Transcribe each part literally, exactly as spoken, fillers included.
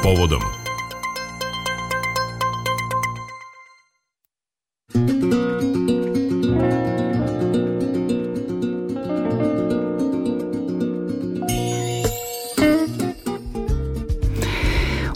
povodom.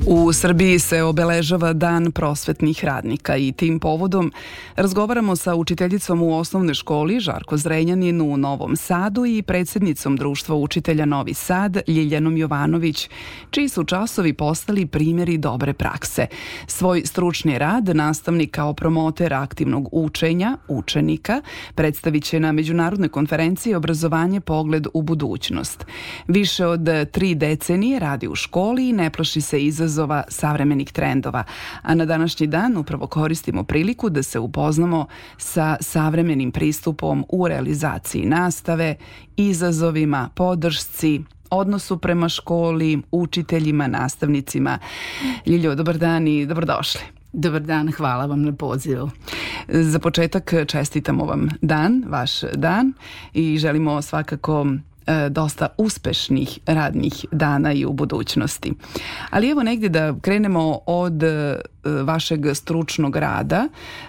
U Srbiji se obeležava Dan prosvetnih radnika i tim povodom razgovaramo sa učiteljicom u osnovnoj školi Žarko Zrenjanin u Novom Sadu i predsjednicom Društva učitelja Novi Sad Ljiljanom Jovanović, čiji su časovi postali primjeri dobre prakse. Svoj stručni rad nastavnik kao promoter aktivnog učenja učenika predstavit će na međunarodnoj konferenciji Obrazovanje pogled u budućnost. Više od tri decenije radi u školi i ne plaši se izazova savremenih trendova, a na današnji dan upravo koristimo priliku da se upoznamo sa savremenim pristupom u realizaciji nastave, izazovima, podršci, odnosu prema školi, učiteljima, nastavnicima. Ljiljo, dobar dan i dobrodošli. Dobar dan, hvala vam na pozivu. Za početak čestitamo vam dan, vaš dan, i želimo svakako dosta uspešnih radnih dana i u budućnosti. Ali evo negdje da krenemo od vašeg stručnog rada,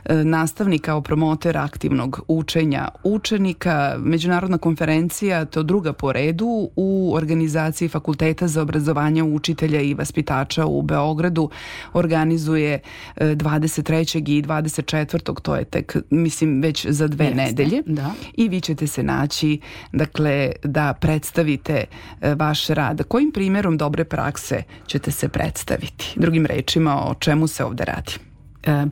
nastavnik kao promoter aktivnog učenja učenika. Međunarodna konferencija, to druga po redu u organizaciji Fakulteta za obrazovanje učitelja i vaspitača u Beogradu, organizuje dvadeset trećeg i dvadeset četvrtog to je tek, mislim, već za dve Jeste, nedelje. Da. I vi ćete se naći, dakle, da predstavite vaš rad. Kojim primjerom dobre prakse ćete se predstaviti? Drugim rečima, o čemu se ovdje radi?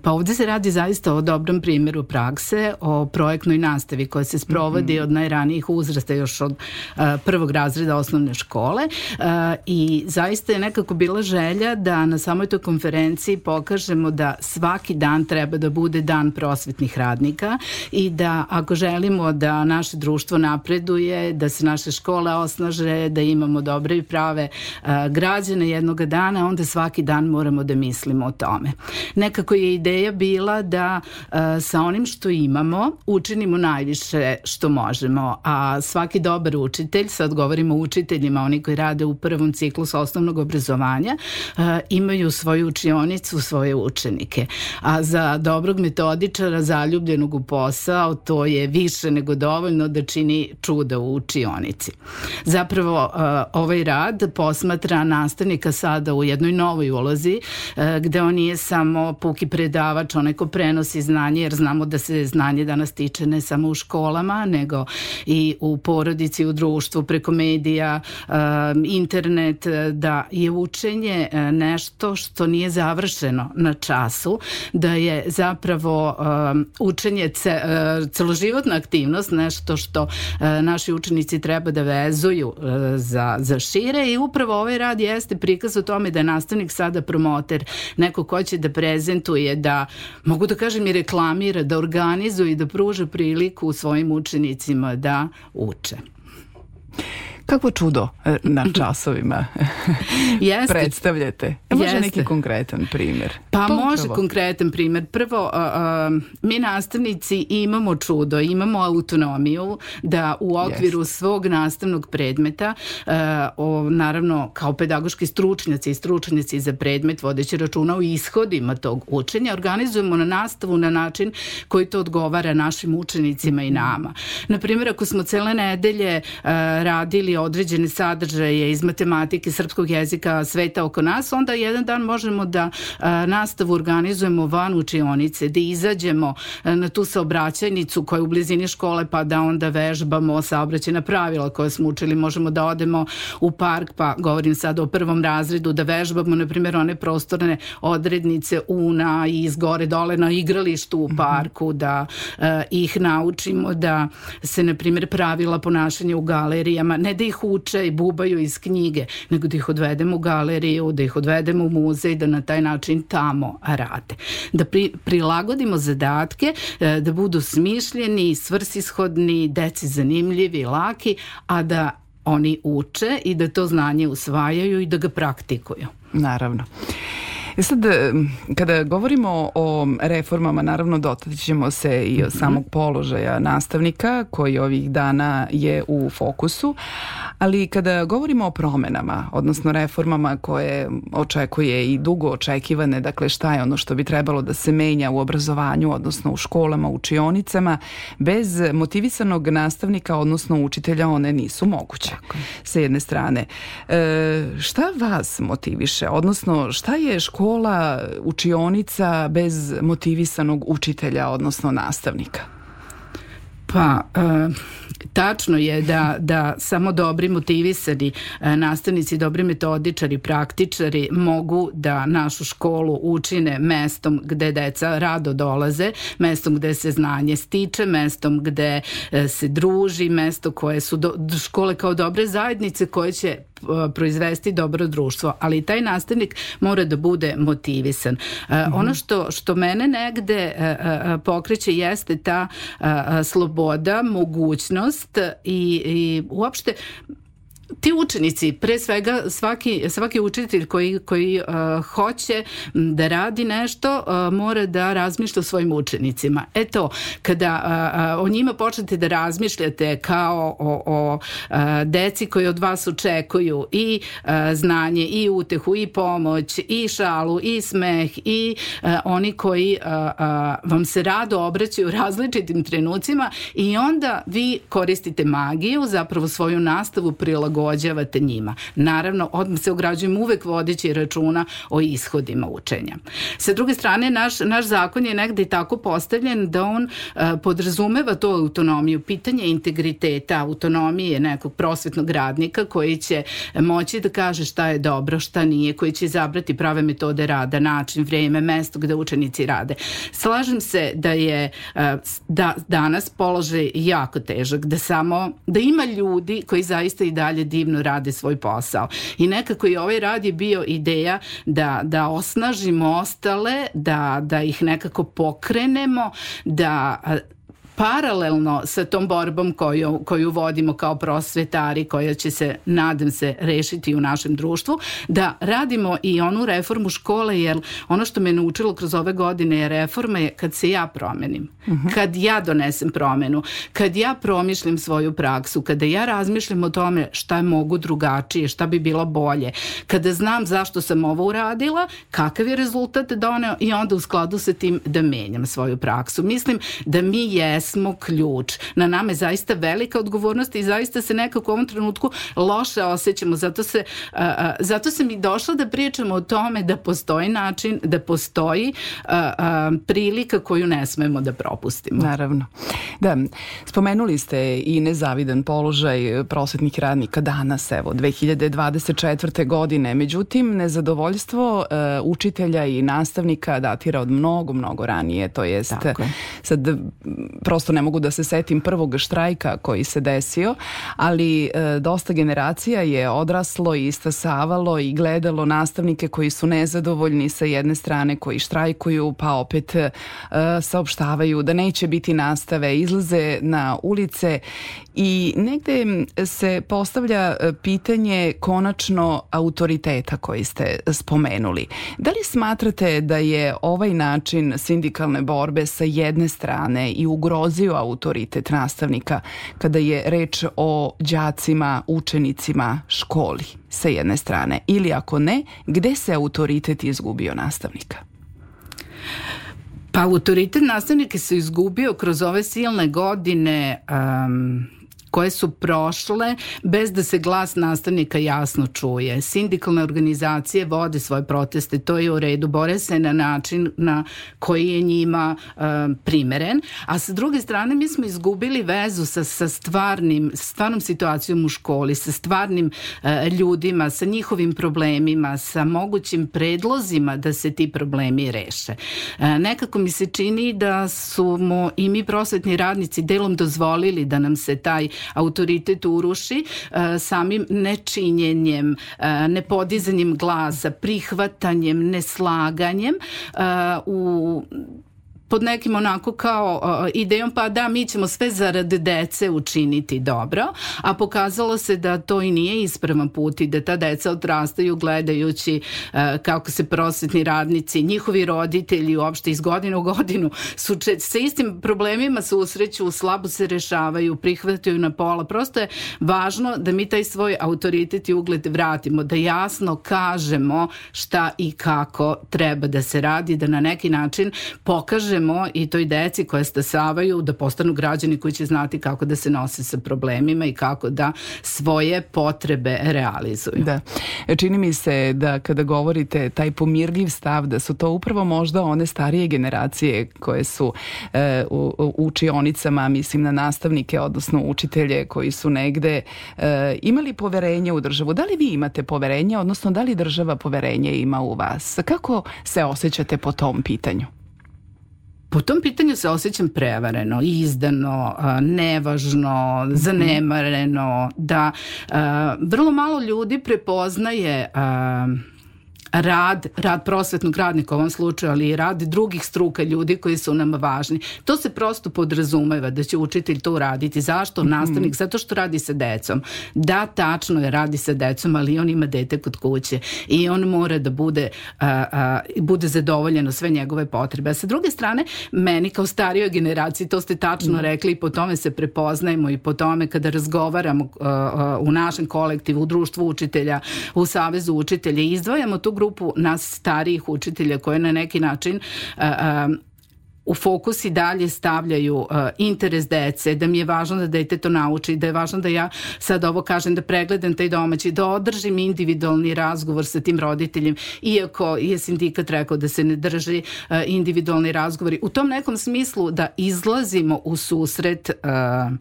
Pa ovdje se radi zaista o dobrom primjeru prakse, o projektnoj nastavi koja se sprovodi mm-hmm. od najranijih uzrasta, još od uh, prvog razreda osnovne škole, uh, i zaista je nekako bila želja da na samoj toj konferenciji pokažemo da svaki dan treba da bude dan prosvetnih radnika i da ako želimo da naše društvo napreduje, da se naše škole osnaže, da imamo dobre i prave uh, građane jednoga dana, onda svaki dan moramo da mislimo o tome. Nekako je ideja bila da uh, sa onim što imamo učinimo najviše što možemo, a svaki dobar učitelj, sad govorimo o učiteljima, oni koji rade u prvom ciklusu osnovnog obrazovanja, uh, imaju svoju učionicu, svoje učenike. A za dobrog metodičara, zaljubljenog u posao, to je više nego dovoljno da čini čuda u učionici. Zapravo uh, ovaj rad posmatra nastavnika sada u jednoj novoj ulozi, uh, gde on nije samo puki predavač, onaj ko prenosi znanje, jer znamo da se znanje danas tiče ne samo u školama, nego i u porodici, u društvu, preko medija, internet, da je učenje nešto što nije završeno na času, da je zapravo učenje celoživotna aktivnost, nešto što naši učenici treba da vezuju za, za šire, i upravo ovaj rad jeste prikaz o tome da je nastavnik sada promoter, neko ko će da prezentuje, da, mogu da kažem, i reklamira, da organizuje i da pruža priliku svojim učenicima da uče. Kakvo čudo na časovima predstavljate? Može jeste. Neki konkretan primjer? Pa to može upravo. Konkretan primjer. Prvo, uh, uh, mi nastavnici imamo čudo, imamo autonomiju da u okviru jeste. Svog nastavnog predmeta, uh, o, naravno kao pedagoški stručnjaci i stručnjaci za predmet, vodeći računa o ishodima tog učenja, organizujemo na nastavu na način koji to odgovara našim učenicima i nama. Naprimjer, ako smo cele nedelje uh, radili određene sadržaje iz matematike, srpskog jezika, sveta oko nas, onda jedan dan možemo da a, nastavu organizujemo van učionice, da izađemo a, na tu saobraćajnicu koja je u blizini škole, pa da onda vežbamo saobraćajna pravila koje smo učili. Možemo da odemo u park, pa govorim sad o prvom razredu, da vežbamo, na primjer, one prostorne odrednice una i iz gore dole na igralištu u parku, da a, ih naučimo da se, na primjer, pravila ponašanja u galerijama, ne da ih uče i bubaju iz knjige, nego da ih odvedemo u galeriju, da ih odvedemo u muzej, da na taj način tamo rade. Da pri, prilagodimo zadatke, da budu smišljeni, svrsishodni, deci zanimljivi, laki, a da oni uče i da to znanje usvajaju i da ga praktikuju. Naravno. I sad, kada govorimo o reformama, naravno dotaći ćemo se i o samog položaja nastavnika koji ovih dana je u fokusu, ali kada govorimo o promenama, odnosno reformama koje očekuje i dugo očekivane, dakle šta je ono što bi trebalo da se menja u obrazovanju, odnosno u školama, učionicama, bez motivisanog nastavnika, odnosno učitelja, one nisu moguće. Tako. Sa jedne strane. E, šta vas motiviše, odnosno šta je škola, učionica bez motivisanog učitelja, odnosno nastavnika? Pa, e, tačno je da, da samo dobri motivisani e, nastavnici, dobri metodičari, praktičari mogu da našu školu učine mestom gde deca rado dolaze, mestom gde se znanje stiče, mestom gde e, se druži, mesto koje su do, škole kao dobre zajednice koje će proizvesti dobro društvo, ali taj nastavnik mora da bude motivisan. Mm-hmm. Ono što, što mene negde pokreće jeste ta sloboda, mogućnost i, i uopšte ti učenici, pre svega svaki, svaki učitelj koji, koji uh, hoće da radi nešto uh, mora da razmišlja o svojim učenicima. Eto, kada uh, uh, o njima počnete da razmišljate kao o, o uh, deci koji od vas očekuju i uh, znanje, i utehu, i pomoć, i šalu, i smeh, i uh, oni koji uh, uh, vam se rado obraćaju u različitim trenucima, i onda vi koristite magiju, zapravo svoju nastavu prilagođavate prilagođavate njima. Naravno, odmah se ograđujem uvek vodeći računa o ishodima učenja. Sa druge strane, naš, naš zakon je negde i tako postavljen da on uh, podrazumeva to autonomiju, pitanje integriteta, autonomije nekog prosvetnog radnika koji će moći da kaže šta je dobro, šta nije, koji će izabrati prave metode rada, način, vreme, mesto gde učenici rade. Slažem se da je uh, da, danas položaj jako težak, da samo, da ima ljudi koji zaista i dalje divno rade svoj posao. I nekako i ovaj rad je bio ideja da, da osnažimo ostale, da, da ih nekako pokrenemo, da paralelno sa tom borbom koju, koju vodimo kao prosvetari, koja će se, nadam se, rešiti u našem društvu, da radimo i onu reformu škole, jer ono što me naučilo kroz ove godine je reforma je kad se ja promenim, uh-huh. kad ja donesem promenu, kad ja promišljam svoju praksu, kada ja razmišljam o tome šta mogu drugačije, šta bi bilo bolje, kada znam zašto sam ovo uradila, kakav je rezultat doneo i onda u skladu sa tim da menjam svoju praksu. Mislim da mi jesmo smo ključ. Na nama je zaista velika odgovornost i zaista se nekako u ovom trenutku loše osjećamo. Zato, se, uh, zato sam i došla da pričamo o tome da postoji način, da postoji uh, uh, prilika koju ne smemo da propustimo. Naravno. Da, spomenuli ste i nezavidan položaj prosvetnih radnika danas, evo, dve hiljade dvadeset četvrte. godine. Međutim, nezadovoljstvo uh, učitelja i nastavnika datira od mnogo, mnogo ranije. To jest, sad prosto ne mogu da se setim prvog štrajka koji se desio, ali e, dosta generacija je odraslo i istasavalo i gledalo nastavnike koji su nezadovoljni sa jedne strane, koji štrajkuju, pa opet e, saopštavaju da neće biti nastave, izlaze na ulice i negde se postavlja pitanje konačno autoriteta koji ste spomenuli. Da li smatrate da je ovaj način sindikalne borbe sa jedne strane i ugrozio autoritet nastavnika kada je reč o đacima, učenicima, školi sa jedne strane? Ili ako ne, gde se autoritet izgubio nastavnika? Pa autoritet nastavnika se izgubio kroz ove silne godine um, koje su prošle bez da se glas nastavnika jasno čuje. Sindikalne organizacije vode svoje proteste, to je u redu, bore se na način na koji je njima uh, primeren, a sa druge strane mi smo izgubili vezu sa, sa stvarnim, stvarnom situacijom u školi, sa stvarnim uh, ljudima, sa njihovim problemima, sa mogućim predlozima da se ti problemi reše. Uh, nekako mi se čini da su mu i mi prosvetni radnici delom dozvolili da nam se taj autoritet uruši uh, samim nečinjenjem, uh, nepodizanjem glasa, prihvatanjem, neslaganjem uh, u pod nekim onako kao uh, idejom pa da mi ćemo sve zarad dece učiniti dobro, a pokazalo se da to i nije ispravan put i da ta deca odrastaju gledajući uh, kako se prosvetni radnici, njihovi roditelji uopšte iz godine u godinu su če, sa istim problemima susreću, slabo se rešavaju, prihvataju na pola. Prosto je važno da mi taj svoj autoritet i ugled vratimo, da jasno kažemo šta i kako treba da se radi, da na neki način pokažemo i toj deci koje stasavaju da postanu građani koji će znati kako da se nose sa problemima i kako da svoje potrebe realizuju. Da. Čini mi se da kada govorite taj pomirljiv stav, da su to upravo možda one starije generacije koje su e, u, u učionicama, mislim na nastavnike, odnosno učitelje koji su negde e, imali poverenje u državu. Da li vi imate poverenje, odnosno da li država poverenje ima u vas? Kako se osjećate po tom pitanju? Po tom pitanju se osjećam prevareno, izdano, nevažno, zanemareno, da vrlo malo ljudi prepoznaje rad, rad prosvetnog radnika u ovom slučaju, ali i rad drugih struka ljudi koji su nam važni. To se prosto podrazumeva da će učitelj to uraditi. Zašto? Mm-hmm. Nastavnik, zato što radi sa decom. Da, tačno je, radi sa decom, ali on ima dete kod kuće i on mora da bude, a, a, bude zadovoljeno sve njegove potrebe. A sa druge strane, meni kao starijoj generaciji, to ste tačno mm-hmm. rekli i po tome se prepoznajemo i po tome kada razgovaramo a, a, u našem kolektivu, u društvu učitelja, u Savezu učitelja, izdvajamo tu grupu nas starijih učitelja koje na neki način uh, uh, u fokus i dalje stavljaju uh, interes dece, da mi je važno da dete to nauči, da je važno da ja sad ovo kažem, da pregledam taj domaći, da održim individualni razgovor sa tim roditeljem, iako je sindikat rekao da se ne drži uh, individualni razgovori. U tom nekom smislu da izlazimo u susret uh,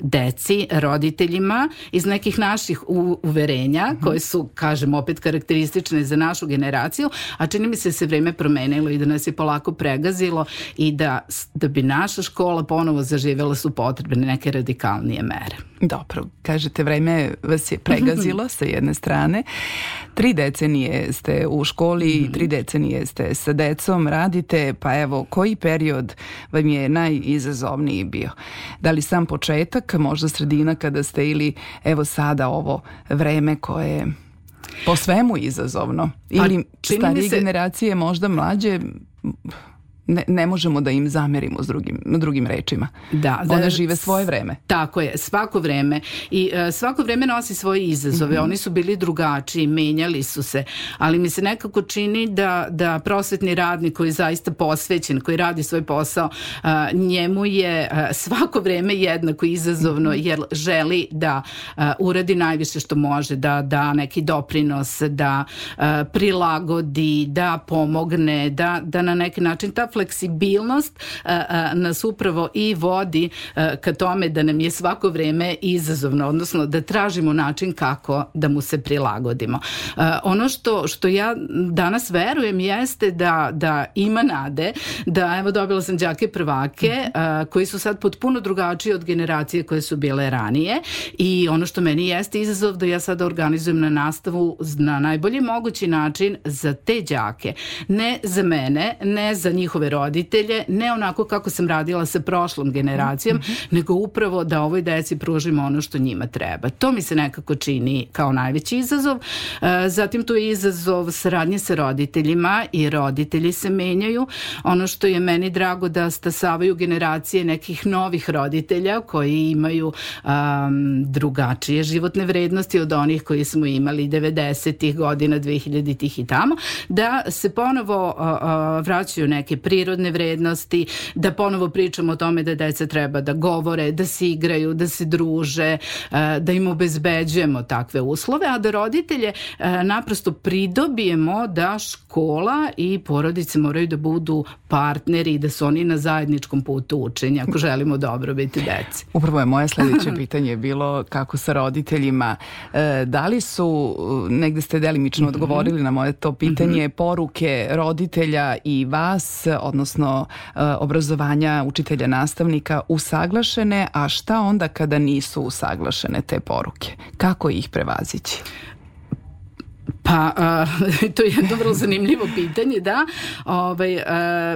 deci, roditeljima iz nekih naših u, uverenja mm-hmm. koje su, kažem, opet karakteristične za našu generaciju, a čini mi se da se vreme promenilo i da nas je polako pregazilo i da, da bi naša škola ponovo zaživjela su potrebne neke radikalnije mere. Dobro, kažete vreme vas je pregazilo sa jedne strane. Tri decenije ste u školi, mm-hmm. tri decenije ste sa decom, radite, pa evo, koji period vam je najizazovniji bio? Da li sam početak, možda sredina kada ste ili evo sada ovo vreme koje je po svemu izazovno? Ili starije se... generacije, možda mlađe... Ne, ne možemo da im zamerimo s drugim, drugim rečima. Da, One da, žive svoje vreme. Tako je, svako vreme. I uh, svako vreme nosi svoje izazove. Mm-hmm. Oni su bili drugačiji, menjali su se. Ali mi se nekako čini da, da prosvetni radnik koji je zaista posvećen, koji radi svoj posao, uh, njemu je uh, svako vreme jednako izazovno, mm-hmm. jer želi da uh, uradi najviše što može, da da neki doprinos, da uh, prilagodi, da pomogne, da, da na neki način ta fleksibilnost a, a, nas upravo i vodi a, ka tome da nam je svako vreme izazovno, odnosno da tražimo način kako da mu se prilagodimo. A, ono što, što ja danas verujem jeste da, da ima nade, da evo dobila sam đake prvake a, koji su sad potpuno drugačiji od generacije koje su bile ranije i ono što meni jeste izazov da ja sada organizujem na nastavu na najbolji mogući način za te đake. Ne za mene, ne za njihove roditelje, ne onako kako sam radila sa prošlom generacijom, mm-hmm. nego upravo da ovoj deci pružimo ono što njima treba. To mi se nekako čini kao najveći izazov. Zatim tu je izazov saradnje sa roditeljima i roditelji se menjaju. Ono što je meni drago da stasavaju generacije nekih novih roditelja koji imaju um, drugačije životne vrednosti od onih koji smo imali devedesetih godina, dvehiljaditih i tamo, da se ponovo uh, uh, vraćaju neke prirodne vrednosti, da ponovo pričamo o tome da deca treba da govore, da se igraju, da se druže, da im obezbeđujemo takve uslove, a da roditelje naprosto pridobijemo da škola i porodice moraju da budu partneri i da su oni na zajedničkom putu učenja ako želimo dobrobiti deci. Upravo je moje sledeće pitanje bilo kako sa roditeljima. Da li su, negde ste delimično mm-hmm. odgovorili na moje to pitanje, mm-hmm. poruke roditelja i vas, odnosno obrazovanja učitelja nastavnika usaglašene, a šta onda kada nisu usaglašene te poruke? Kako ih prevazići? Pa, uh, to je jedno vrlo zanimljivo pitanje, da. Ovaj, uh,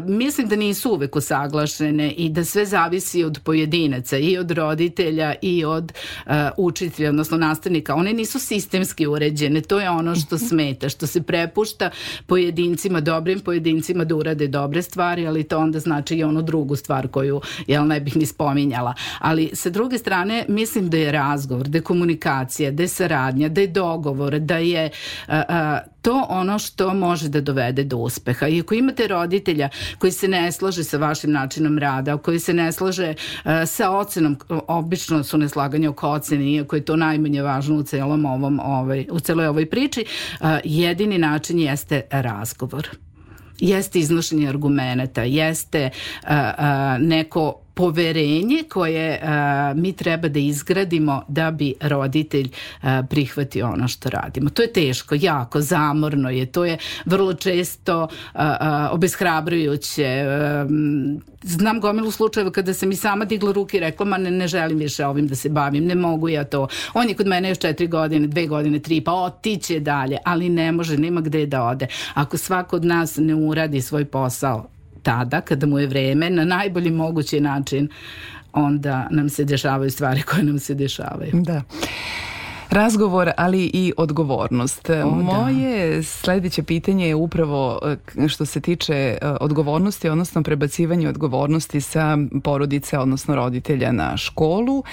mislim da nisu uvek usaglašene i da sve zavisi od pojedinaca i od roditelja i od uh, učitelja, odnosno nastavnika. One nisu sistemski uređene, to je ono što smeta, što se prepušta pojedincima, dobrim pojedincima da urade dobre stvari, ali to onda znači i onu drugu stvar koju, jel, ne bih ni spominjala. Ali sa druge strane, mislim da je razgovor, da je komunikacija, da je saradnja, da je dogovor, da je uh, uh, to ono što može da dovede do uspeha. I ako imate roditelja koji se ne slaže sa vašim načinom rada, koji se ne slaže uh, sa ocenom, obično su neslaganje oko ocene, iako je to najmanje važno u celom ovom, ovaj, u celoj ovoj priči, uh, jedini način jeste razgovor. Jeste iznošenje argumenata, jeste uh, uh, neko poverenje koje uh, mi treba da izgradimo da bi roditelj uh, prihvatio ono što radimo. To je teško, jako, zamorno je, to je vrlo često uh, uh, obeshrabrujuće. Uh, znam gomilu slučajeva kada sam i sama digla ruke i rekla, ma ne, ne želim više ovim da se bavim, ne mogu ja to. On je kod mene još četiri godine, dve godine, tri, pa otiće dalje, ali ne može, nema gde da ode. Ako svako od nas ne uradi svoj posao tada, kada mu je vreme, na najbolji mogući način, onda nam se dešavaju stvari koje nam se dešavaju. Da. Razgovor, ali i odgovornost. O, Moje da. sledeće pitanje je upravo što se tiče odgovornosti, odnosno prebacivanje odgovornosti sa porodice, odnosno roditelja na školu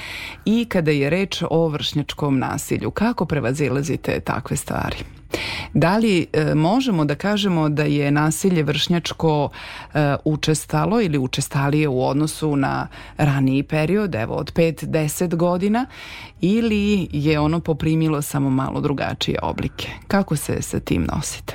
i kada je reč o vršnjačkom nasilju. Kako prevazilazite takve stvari? Da li e, možemo da kažemo da je nasilje vršnjačko e, učestalo ili učestalije u odnosu na raniji period, evo od pet do deset godina, ili je ono poprimilo samo malo drugačije oblike? Kako se sa tim nosite?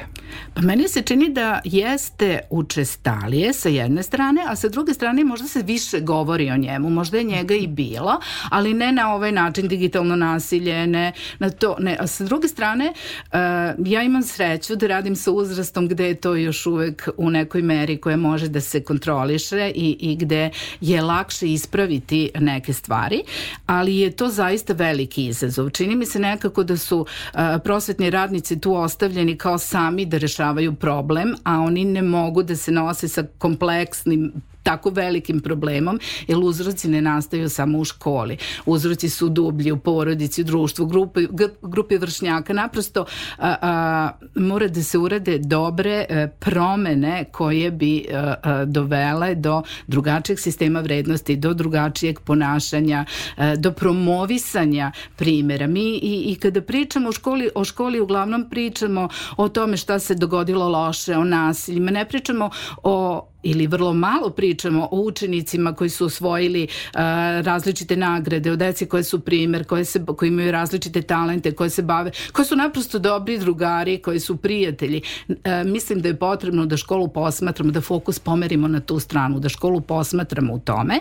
Pa meni se čini da jeste učestalije sa jedne strane, a sa druge strane možda se više govori o njemu, možda je njega i bilo, ali ne na ovaj način, digitalno nasilje, ne na to, ne. A sa druge strane, uh, ja imam sreću da radim sa uzrastom gde je to još uvek u nekoj meri koja može da se kontroliše i, i gde je lakše ispraviti neke stvari, ali je to zaista veliki izazov. Čini mi se nekako da su uh, prosvetni radnici tu ostavljeni kao sami da rešavaju problem, a oni ne mogu da se nose sa kompleksnim, tako velikim problemom, jer uzroci ne nastaju samo u školi. Uzroci su dublji u porodici, u društvu, grupi, grupi vršnjaka. Naprosto a, a, mora da se urade dobre a, promene koje bi a, a, dovele do drugačijeg sistema vrednosti, do drugačijeg ponašanja, a, do promovisanja primjera. Mi i, i kada pričamo o školi, o školi uglavnom pričamo o tome šta se dogodilo loše, o nasiljima, ne pričamo o ili vrlo malo pričamo o učenicima koji su osvojili uh, različite nagrade, o deci koje su primer, koje, se, koji imaju različite talente, koje se bave, koji su naprosto dobri drugari, koji su prijatelji. Uh, mislim da je potrebno da školu posmatramo, da fokus pomerimo na tu stranu, da školu posmatramo u tome.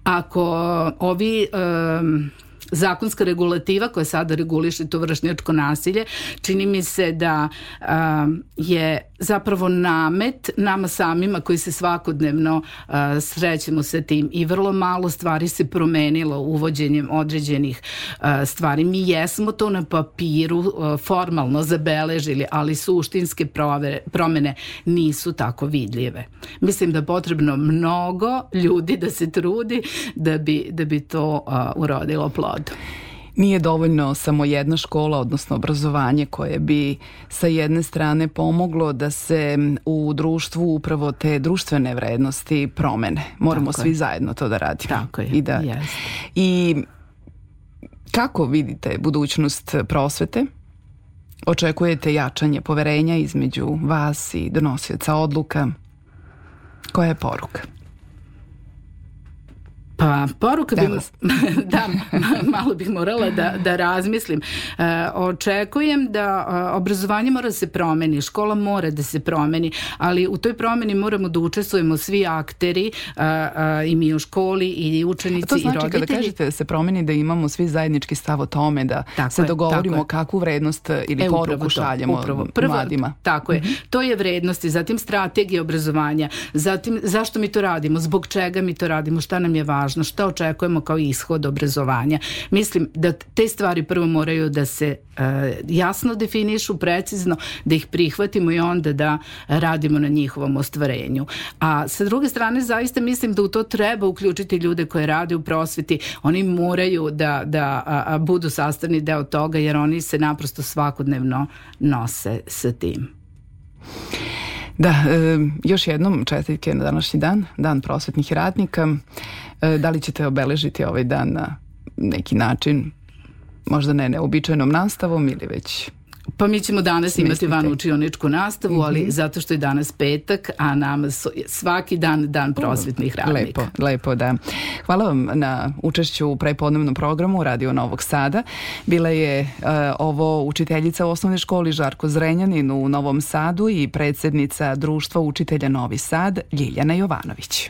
Ako ovi... Um, zakonska regulativa koja sada reguliše to vršnjačko nasilje, čini mi se da um, je zapravo namet nama samima koji se svakodnevno uh, srećemo sa tim i vrlo malo stvari se promenilo uvođenjem određenih uh, stvari. Mi jesmo to na papiru uh, formalno zabeležili, ali suštinske prove, promene nisu tako vidljive. Mislim da je potrebno mnogo ljudi da se trudi da bi, da bi to uh, urodilo plod. Nije dovoljno samo jedna škola, odnosno obrazovanje koje bi sa jedne strane pomoglo da se u društvu upravo te društvene vrednosti promene. Moramo Tako svi je. zajedno to da radimo. Tako je, I, da, yes. I kako vidite budućnost prosvete? Očekujete jačanje poverenja između vas i donosioca odluka? Koja je poruka? Pa poruka bi... da, malo bih morala da, da razmislim. E, očekujem da a, obrazovanje mora da se promeni, škola mora da se promeni, ali u toj promeni moramo da učestvujemo svi akteri, a, a, i mi u školi, i učenici, i roditelji. To znači kada kažete da se promeni, da imamo svi zajednički stav o tome, da tako se je, dogovorimo kakvu vrednost ili e, poruku šaljemo Prvo, mladima. Tako je. Mm-hmm. To je vrednosti, zatim strategija obrazovanja, zatim zašto mi to radimo, zbog čega mi to radimo, šta nam je važno. važno, šta očekujemo kao ishod obrazovanja. Mislim da te stvari prvo moraju da se uh, jasno definišu, precizno, da ih prihvatimo i onda da radimo na njihovom ostvarenju. A sa druge strane, zaista mislim da u to treba uključiti ljude koje rade u prosveti. Oni moraju da, da a, a, budu sastavni deo toga, jer oni se naprosto svakodnevno nose sa tim. Da, e, još jednom čestitke na današnji dan, dan prosvetnih radnika. E, da li ćete obeležiti ovaj dan na neki način, možda ne neobičajnom nastavom ili već... Pa mi ćemo danas smislite. Imati van učioničku nastavu, mm-hmm. ali zato što je danas petak, a nama su svaki dan dan prosvetnih radnika. Lepo, lepo, da. Hvala vam na učešću u prepodnevnom programu Radio Novog Sada. Bila je uh, ovo učiteljica u osnovnoj školi Žarko Zrenjanin u Novom Sadu i predsjednica Društva učitelja Novi Sad Ljiljana Jovanović.